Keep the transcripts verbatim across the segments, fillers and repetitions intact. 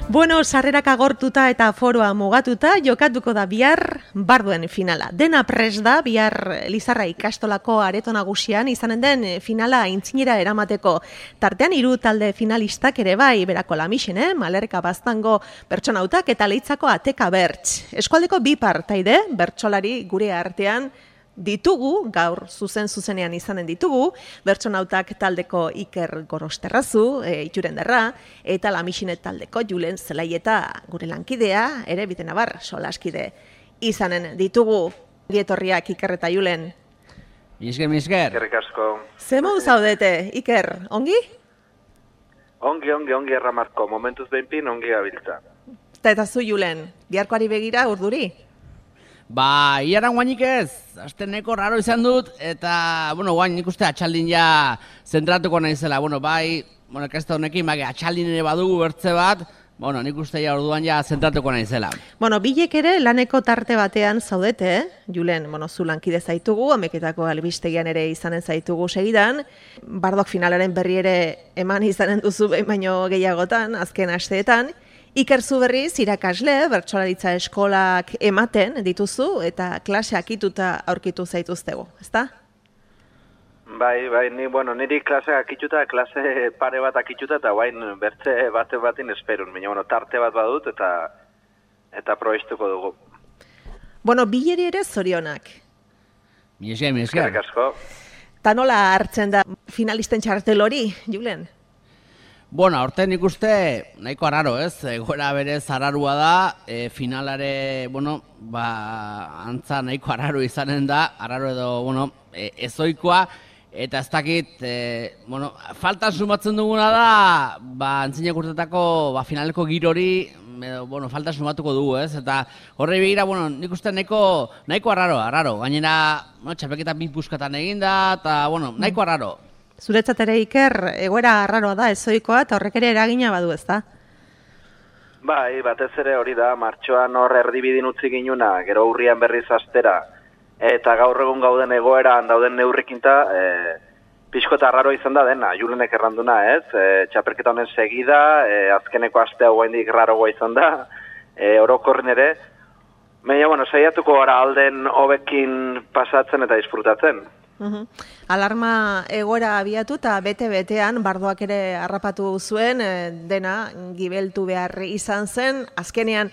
Bueno, sarrerak agortuta eta foroa mugatuta, jokatuko da bihar barduen finala. Dena pres da bihar Lizarra ikastolako areto nagusian izanen den finala aintzinera eramateko. Tartean hiru talde finalistak ere bai, berako Lamixen, eh? Malerka Baztango Bertsonautak eta Leitzako Ateka Berts. Eskualdeko bi partaide, bertsolari gure artean ditugu, gaur zuzen-zuzenean izanen ditugu, Bertsonautak taldeko Iker Gorosterrazu, e, Iturendarra, eta Lamixinet taldeko Julen Zelaieta gure lankidea, ere bitenabar solaskide izanen ditugu. Dietorriak Iker eta Julen. Misker, misker. Eskerrik asko. Zemo zaudete, Iker, ongi? Ongi, ongi, ongi erramarko, momentuz behinpin ongi gabiltza. Eta eta zu Julen, biharkoari begira urduri? Ba, iaran guainik ez, aste neko raro izan dut, eta, bueno, guain nik uste atxaldin ja zentratuko naizela, bueno, bai, bueno, kesta honekin, bai, atxaldin ere badugu bertze bat, bueno, nik uste ja orduan ja zentratuko naizela. Bueno, bilek ere laneko tarte batean zaudete, eh? Julen, bueno, zu lankide zaitugu, Ameketako albistegian ere izanen zaitugu segidan, Bardok finalaren berri ere eman izanen duzu behin baino gehiagotan, azken asteetan, Iker zu berriz irakasle, bertsolaritza eskolak ematen dituzu eta klase akituta aurkitu zaituztegu, ezta? Bai, bai, ni, bueno, niri klase akituta, klase pare bat akituta, eta bain bertze bate batin esperun. Baina, bueno, tarte bat badut eta eta probestuko dugu. Bueno, bileri ere zorionak. Mi esker, mi esker. Eskerrik asko. Ta nola hartzen da finalisten txartel hori, Julen? Bueno, aurten nik uste nahiko arraro, ez? Egoera berez ararua da, e, finalare, bueno, ba, antza nahiko arraro izanen da, arraro edo, bueno, e, ezoikoa, eta ez dakit, e, bueno, falta sumatzen duguna da, ba, antzinak urtetako, ba, finaleko girori, edo, bueno, falta sumatuko dugu, ez? Eta horre begira, bueno, nik uste nahiko, nahiko arraro, arraro, gainera, bueno, txapelketa bi puskatan eginda, eta, bueno, nahiko arraro. Zuretzat ere Iker, egoera arraroa da, ezoikoa, eta horrek ere eragina badu, ezta? Bai, batez ere hori da, martxoan hor erdibidin utzi ginuna, gero urrian berriz astera, eta gaur egun gauden egoeran dauden neurrikinta, e, pixko eta arraro izan da dena, Julenek erranduna, ez? E, txapelketa honen segida, e, azkeneko astea guaindik raroa izan da, e, orokorren ere, baina, bueno, saiatuko gara alden hobekin pasatzen eta disfrutatzen. Uhum. Alarma egoera abiatu eta bete-betean Bardoak ere harrapatu zuen, dena gibeltu behar izan zen, azkenean,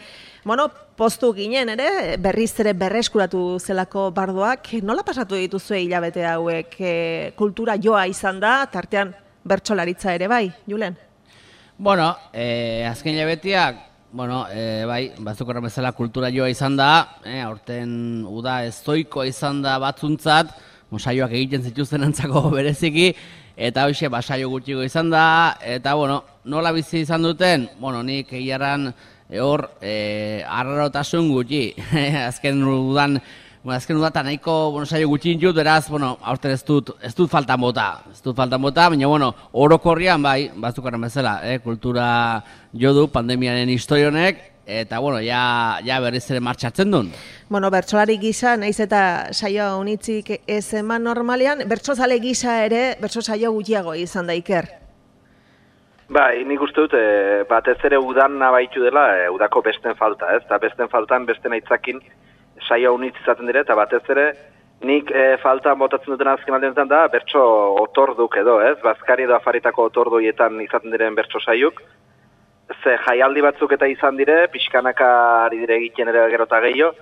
bueno, postu ginen ere, berriz ere berreskuratu zelako Bardoak, nola pasatu dituzue hilabete hauek, e, kultura joa izan da, tartean bertsolaritza ere bai, Julen? Bueno, e, azken hilabeteak, bueno, e, bai, batzuk horren bezala kultura joa izan da, e, aurten uda ezoikoa izan da batzuntzat, saioak egiten zituzten antzako bereziki, eta hoxe basaio gutxiko izan da, eta, bueno, nola bizi izan duten, bueno, nik egiaran hor e, arrarotasun gutxi, azken udan, bueno, azken udatan nahiko, bueno, saio gutxi intut, beraz, bueno, aurten ez dut, ez dut faltan bota, ez dut faltan bota, baina, bueno, orokorrian, bai, batzukaren bezala, eh, kultura jo du pandemiaren historionek, eta, bueno, ja, ja berriz ere martxatzen duen. Bueno, bertsolari gisa, naiz eta saioa unitzik ez eman normalean, bertsozale gisa ere, bertso saio gutxiago izan da Iker. Bai, nik uste dut, e, batez ere udan nabaitu dela, e, udako besten falta, ez? Eta besten faltan, besten aitzakin saioa unitz izaten dire, eta batez ere, nik e, falta botatzen duten azken aldenetan da, bertso otorduk edo, ez? Bazkari edo afaritako otorduietan izaten diren bertso saiuk, ze jaialdi batzuk eta izan dire, pixkanaka ari dire egiten ere gerota gehiago,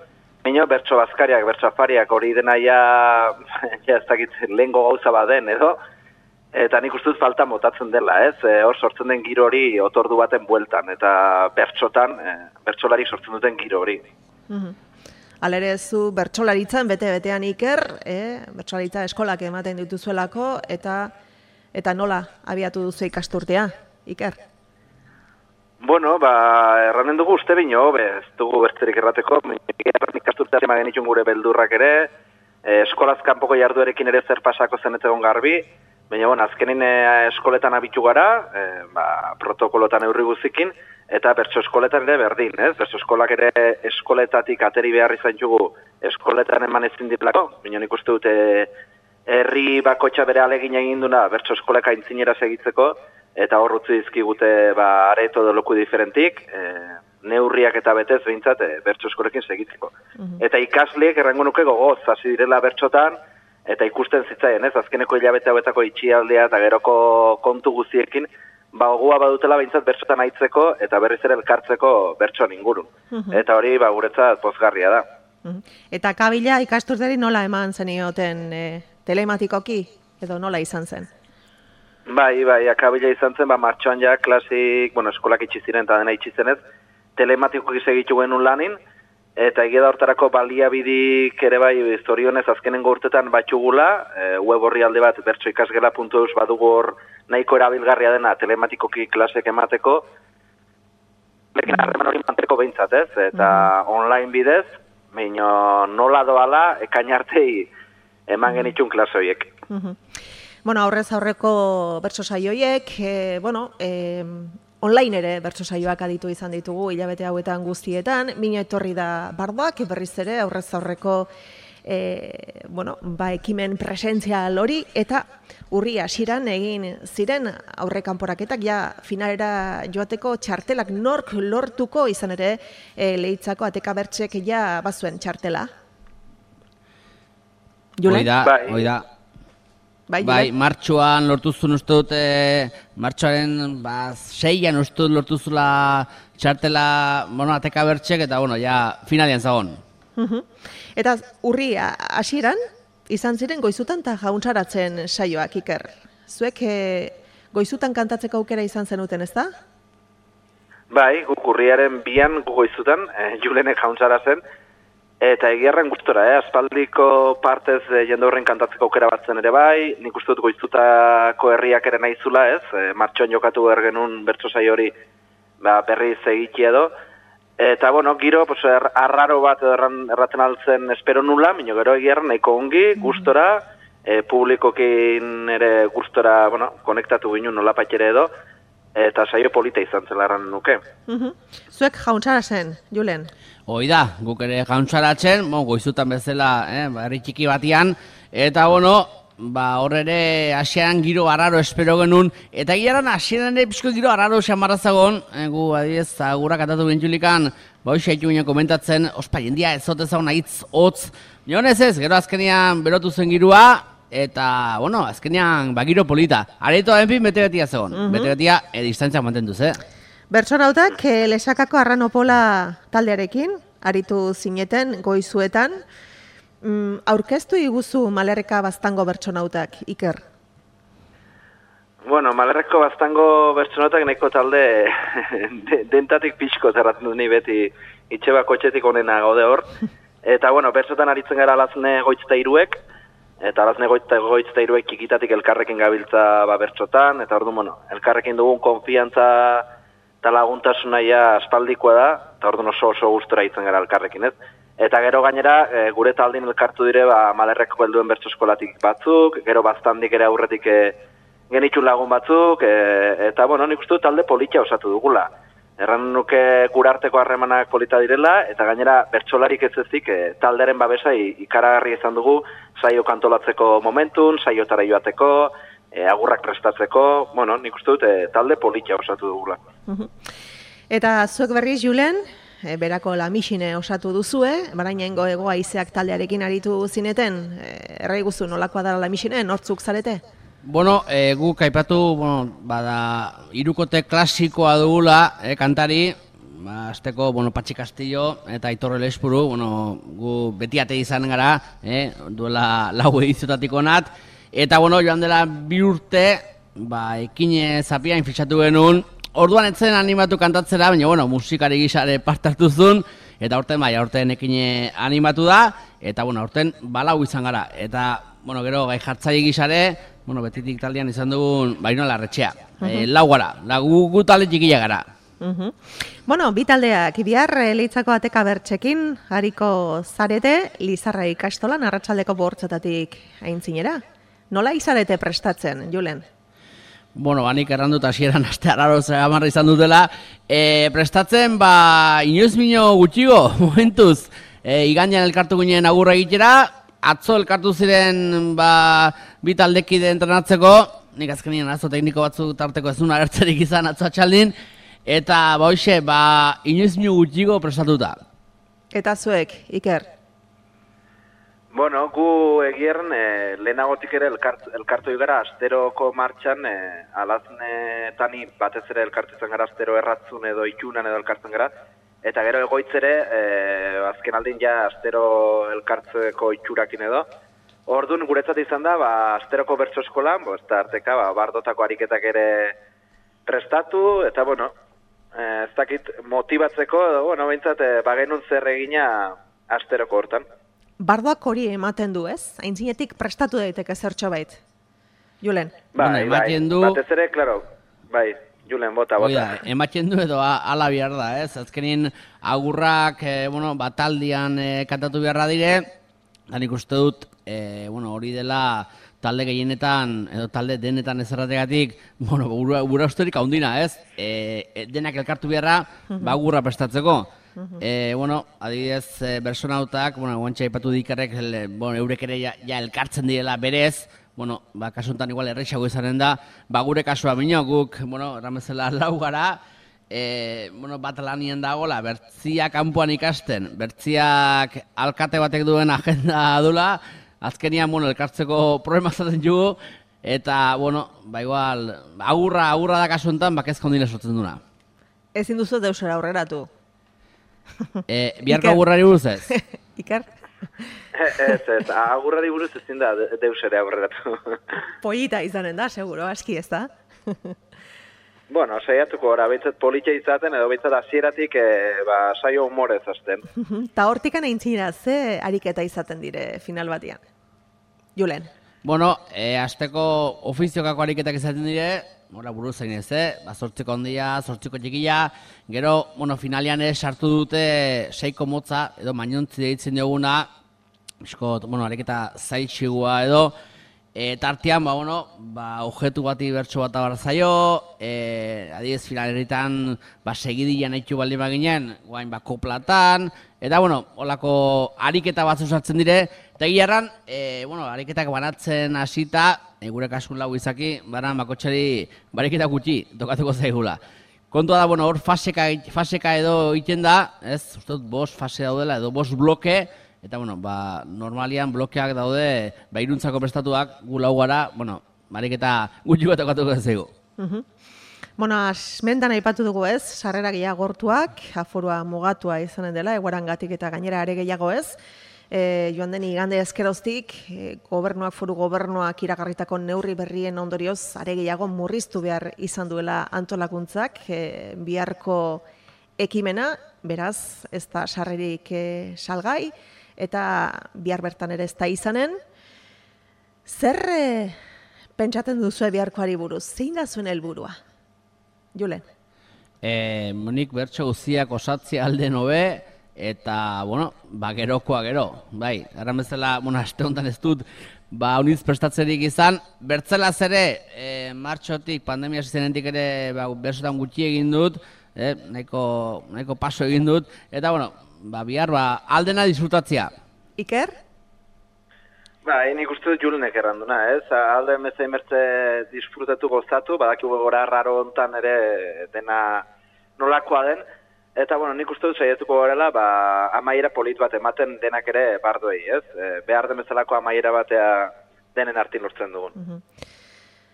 baina bertso bazkariak, bertso afariak hori dena ja, ja ez dakit lehengo gauza baden edo, eta nik uste dut falta motatzen dela, ez? E, hor sortzen den giro hori otordu baten bueltan, eta bertsotan, e, bertsolari sortzen duten giro hori. Uhum. Alere zu bertsolaritzan bete-betean Iker, eh? Bertsolaritza eskolak ematen dituzuelako, eta, eta nola abiatu duzu ikasturtea, Iker? Bueno, ba, erranen dugu uste bino, ez dugu bertzerik errateko, ikasturtean ema genitxun gure beldurrak ere, e, eskolaz kanpoko jarduerekin ere zer pasako zen ez egon garbi, baina, bueno, azkenin e, eskoletan abitu gara, e, ba, protokolotan eurri guzikin, eta bertso eskoletan ere berdin, ez? Bertso eskolak ere eskoletatik ateri behar izan jugu eskoletan eman ezin diplako, baina nik uste dute herri bakotxa bere alegin egin duna bertso eskoleka aintzinera segitzeko, eta hor utzi dizkigute ba, areto edo loku diferentik, e, neurriak eta betez behintzat e, bertso eskolekin segitzeko. Mm-hmm. Eta ikasleek errango nuke gogoz, hasi direla bertsotan, eta ikusten zitzaien, ez, azkeneko hilabete hauetako itxialdea eta geroko kontu guztiekin, ba, gogoa badutela behintzat bertsotan aitzeko eta berriz ere elkartzeko bertsoan ingurun. Mm-hmm. Eta hori ba, guretzat pozgarria da. Mm-hmm. Eta kabila ikasturteri nola eman zenioten e, telematikoki, edo nola izan zen? Bai, bai, akabila izan zen, ba, martxoan ja klasik, bueno, eskolak itxiziren eta dena itxizenez, telematikoki segitu genuen lanin, eta egia da hortarako baliabidik ere bai zorionez azkenengo urtetan batxugula, e, web horri alde bat bertso ikasgela puntu eus badugu hor nahiko erabilgarria dena telematikoki klasek emateko, lekin harreman hori manteko behintzat ez, eta mm. online bidez, baina nola doala ekain artei eman genitxun klase horiek. Mm-hmm. Bueno, aurrez aurreko bertso saioiek, e, bueno, e, online ere bertso saioak aditu izan ditugu hilabete hauetan guztietan, mina etorri da Bardoak, berriz ere aurrez aurreko e, bueno, ba, ekimen presentzial hori, eta urri hasieran egin ziren aurrekanporaketak ja finalera joateko txartelak nork lortuko izan ere e, Leitzako ateka bertsek ja bazuen txartela. Hoi da, hoi da. Bai, bai, martxoan lortuzun uste dut, e, martxoaren ba, seian uste dut lortuzula txartela, bueno, ateka bertxek, eta, bueno, ja, finalian zagon. Uh-huh. Eta urri hasieran izan ziren goizutan eta jauntzaratzen saioak, Iker. Zuek e, goizutan kantatzeko aukera izan zenuten, ez da? Bai, guk urriaren bian gu goizutan, e, Julenek jauntzaratzen, eta egiarren gustora, eh? Aspaldiko partez e, jende horren kantatzeko aukera batzen ere bai, nik uste dut goizutako herriak ere nahizula, ez? E, martxoan jokatu behar genuen bertso saio hori ba, berriz egiti edo. Eta, bueno, giro, pues, er, arraro bat erran, erraten altzen espero nula, minio gero egiarren nahiko ongi, gustora, e, publikokin ere gustora, bueno, konektatu ginen nola ere edo, eta saio polita izan zela erran nuke. Uh-huh. Zuek jauntzara zen, Julen? Hoi da, guk ere jauntzaratzen, bon, goizutan bezala, eh, herri txiki batian, eta bueno, ba, hor ere hasieran giro arraro espero genuen, eta gileran hasieran ere pixko giro arraro xamarrazagon, eh, gu adiez, agura katatu bintxulikan, ba, hoxe haitu ginen komentatzen, ospa, jendia ez zote zaun ahitz, hotz, nionez ez, gero azkenean berotu zen girua, eta, bueno, azkenean, ba, giro polita, areto enpin bete-betia zegoen, uh-huh. bete-betia e, distantzia mantenduz, eh? Bertsonautak eh, Lesakako Arranopola taldearekin, aritu zineten goizuetan, mm, aurkeztu iguzu Malerreka Baztango bertsonautak, Iker? Bueno, Malerreko Baztango bertsonautak nahiko talde de, dentatik pixko zerratzen du ni beti itxebako etxetik onena gaude hor. Eta, bueno, bertsotan aritzen gara alazne goitzta iruek, eta alazne goitzta, goitzta iruek kikitatik elkarrekin gabiltza ba, bertsotan, eta ordu, bueno, elkarrekin dugun konfiantza eta laguntasuna ja aspaldikoa da, eta orduan oso oso gustora itzen gara elkarrekin, ez? Eta gero gainera, e, gure taldin elkartu dire, ba, Malerreko helduen bertso eskolatik batzuk, gero Baztandik ere aurretik e, genitxun lagun batzuk, e, eta, bueno, nik uste dut talde politia osatu dugula. Erran nuke gurarteko harremanak polita direla, eta gainera bertsolarik ez ezik, e, taldearen babesa ikaragarri izan dugu, saio kantolatzeko momentun, saiotara joateko, E, agurrak prestatzeko, bueno, nik uste dut e, talde politia osatu dugula. Uh-huh. Eta zuek berriz, Julen, e, berako Lamixine osatu duzue, barainengo Hego Haizeak taldearekin aritu zineten, e, errai guzu nolakoa dara Lamixine, nortzuk zarete? Bueno, e, guk aipatu, bueno, bada, hirukote klasikoa dugula, e, kantari, ba, azteko, bueno, Patxi Castillo eta Aitor Elespuru, bueno, gu beti ate izan gara, e, duela lau ediziotatik onat, eta, bueno, joan dela bi urte, ba, ekine zapiain fitxatu genuen, orduan etzen animatu kantatzera, baina, bueno, musikari gisare parte hartu zuen, eta aurten, bai, aurten ekine animatu da, eta, bueno, aurten balau izan gara, eta, bueno, gero, gai jartzaile gisare, bueno, betitik taldean izan dugun, baino larretxea, uh-huh. e, lau gara, lagu gu talde txikila gara. Uh-huh. Bueno, bi taldeak, bihar Leitzako ateka bertxekin, hariko zarete, Lizarra ikastolan, arratsaldeko bortzetatik aintzinera. Nola izarete prestatzen, Julen? Bueno, banik errandut hasieran aste arraro zegamarra izan dutela. E, prestatzen, ba, inoiz mino gutxigo, momentuz, e, igandean elkartu ginen agurra egitera, atzo elkartu ziren, ba, bi taldekide entrenatzeko, nik azkenien arazo tekniko batzu tarteko ez duen agertzerik izan atzo atxaldin, eta ba hoxe, ba, inoiz minu gutxigo prestatuta. Eta zuek, Iker? Bueno, gu egierren e, lehenagotik ere elkart, elkartu gara asteroko martxan e, alaznetani batez ere elkartu izan gara astero erratzun edo itxunan edo elkartzen gara, eta gero egoitzere e, azken aldin ja astero elkartzeko itxurakin edo. Orduan guretzat izan da, ba, asteroko bertso eskolan, bo, ez da arteka, ba, bardotako ariketak ere prestatu, eta bueno, e, ez dakit motibatzeko, edo, bueno, behintzat, e, bagenun zer egina asteroko hortan. Bardoak hori ematen du, ez? Aintzinetik prestatu daiteke zertxo bait. Julen? Bai, bueno, bai, du... batez ere, klaro, bai, Julen, bota, bota. Oida, ematen du edo ala behar da, ez? Azkenin agurrak, e, bueno, bataldian e, kantatu beharra dire, da nik uste dut, e, bueno, hori dela talde gehienetan, edo talde denetan ezerrategatik, bueno, gura, gura usterik haundina, ez? E, denak elkartu beharra, ba agurra prestatzeko. E, bueno, adibidez, e, bersonautak, bueno, guantxa ipatu dikarrek, el, bueno, eurek ere ja, ja elkartzen direla berez, bueno, ba, kasuntan igual errexago izanen da, ba, gure kasua minok, guk, bueno, erramezela lau gara, e, bueno, bat lanien dagoela, bertziak kanpoan ikasten, bertziak alkate batek duen agenda dula, azkenian, bueno, elkartzeko problema zaten jugu, eta, bueno, ba, igual, agurra, agurra da kasuntan, ba, kezka ondile sortzen duna. Ezin duzu deusera aurreratu. E, biharko agurrari buruz ez? Iker? Ez, ez, agurrari buruz ezin da deus ere aurreratu. Polita izanen da, seguro, aski ez da? Bueno, saiatuko ora, behintzat politxa izaten, edo behintzat hasieratik e, ba, saio humorez azten. Ta hortikan aintzina, ze ariketa izaten dire final batian? Julen? Bueno, e, azteko ofiziokako ariketak izaten dire, ora buruz zain ez, eh? Ba, zortziko ondia, zortziko txikila, gero, bueno, finalian ez sartu dute seiko motza, edo mainontzi deitzen dioguna, biskot, bueno, ariketa zaitxigua edo, e, tartean, ba, bueno, ba, objetu bati bertso bat abar zaio, e, adibidez finaleritan, ba, segidian haitu baldin baginen, guain, ba, koplatan, eta, bueno, holako ariketa batzu sartzen dire, eta gilarran, e, bueno, ariketak banatzen hasita, e, gure kasun lau izaki, baran bakotxari bariketa gutxi tokatuko zaigula. Kontua da, bueno, hor faseka, faseka edo iten da, ez, uste dut, bost fase daudela, edo bost bloke, eta, bueno, ba, normalian blokeak daude, ba, iruntzako prestatuak, gu lau gara, bueno, bariketa gutxi bat tokatuko zaigu. Uh-huh. Bueno, asmentan aipatu dugu ez, sarrera gehiago gortuak, aforua mugatua izanen dela, eguarangatik eta gainera are gehiago ez, E, joan den igande ezkeroztik, e, gobernuak, foru gobernuak iragarritako neurri berrien ondorioz, are gehiago murriztu behar izan duela antolakuntzak, e, biharko ekimena, beraz, ez da sarrerik e, salgai, eta bihar bertan ere ez da izanen. Zer e, pentsatzen duzu biharkoari buruz? Zein da zuen helburua? Julen? E, Monik bertso guziak osatzea alde nobe, eta, bueno, ba, gerokoa gero, bai, erran bezala, bueno, aste honetan ez dut, ba, uniz prestatzerik izan, bertzelaz ere, e, martxotik, pandemia zizenentik ere, ba, bersotan gutxi egin dut, e, nahiko, nahiko paso egin dut, eta, bueno, ba, bihar, ba, aldena disfrutatzea. Iker? Ba, nik uste dut Julenek erranduna, ez? Alde mezein bertze disfrutatu gozatu, badakigu gora raro hontan ere dena nolakoa den, eta, bueno, nik uste dut saiatuko garela, ba, amaiera polit bat ematen denak ere bardoei, ez? E, behar den bezalako amaiera batea denen artin lortzen dugun. Uh-huh.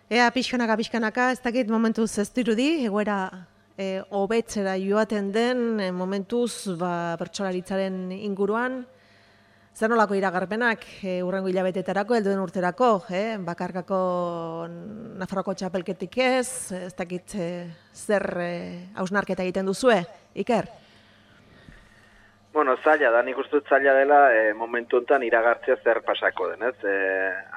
Ea, pixkanaka, pixkanaka, ez dakit momentuz ez dirudi, egoera e, hobetzera joaten den, e, momentuz, ba, bertsolaritzaren inguruan, zer nolako iragarpenak e, urrengo hilabetetarako, helduen urterako, eh? Bakarkako Nafarroko txapelketik ez, ez dakit e, zer e, hausnarketa egiten duzue, Iker? Bueno, zaila da, nik uste dut zaila dela e, momentu honetan iragartzea zer pasako den, ez? E,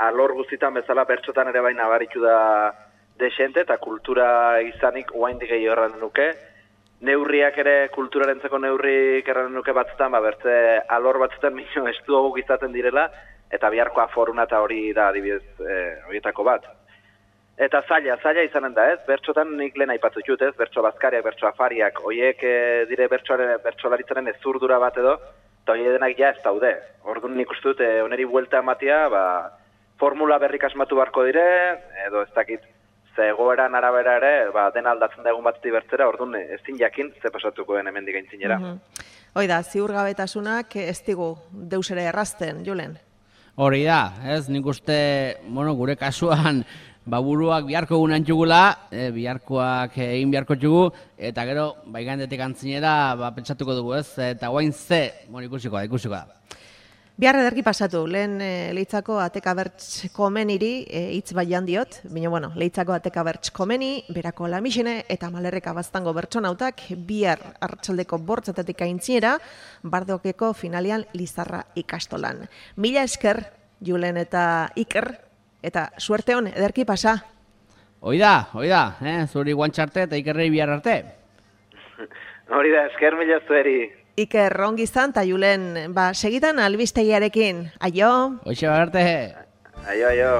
alor guztitan bezala bertsotan ere baina baritu da desente eta kultura izanik oaindik gehiago erran nuke. Neurriak ere kulturarentzako neurrik erran nuke batzutan, ba, bertze alor batzutan minio estuaguk izaten direla, eta biharko aforuna eta hori da adibidez e, horietako bat. Eta zaila, zaila izanen da, ez? Bertxotan nik lehen aipatu dut, ez? Bertxo bazkariak, bertxo afariak, horiek e, dire bertxolaritzaren ezurdura bat edo, eta horiek denak ja ez daude. Orduan nik uste dut, e, oneri buelta ematea, ba, formula berrik asmatu beharko dire, edo ez dakit, ze egoeran arabera ere, ba, dena aldatzen da egun batetik bertzera, orduan ezin jakin ze pasatuko den hemendik aintzinera. Mm-hmm. Hoi da, ziurgabetasunak ez digu deus ere errazten, Julen. Hori da, ez, nik uste, bueno, gure kasuan, baburuak biharko egun antxugula, e, biharkoak egin biharko txugu, eta gero, baigandetik antzinera, ba, pentsatuko dugu, ez, eta guain ze, bueno, ikusiko da, ikusiko da. Bihar ederki pasatu, lehen e, Leitzako atekabertz komeniri e, hitz baian diot, baina bueno, Leitzako atekabertz komeni, berako lamixene eta malerreka baztango bertsonautak bihar arratsaldeko bortzatetik aintzinera, Bardokeko finalian Lizarra ikastolan. Mila esker, Julen eta Iker, eta suerte hon, ederki pasa. Hoi da, hoi da, eh? Zuri guantxarte eta Ikerrei bihar arte. Hori da, esker mila zueri. Iker, ongi izan, eta Julen, ba, segitan albistegiarekin. Aio! Hoxe arte. Aio, aio.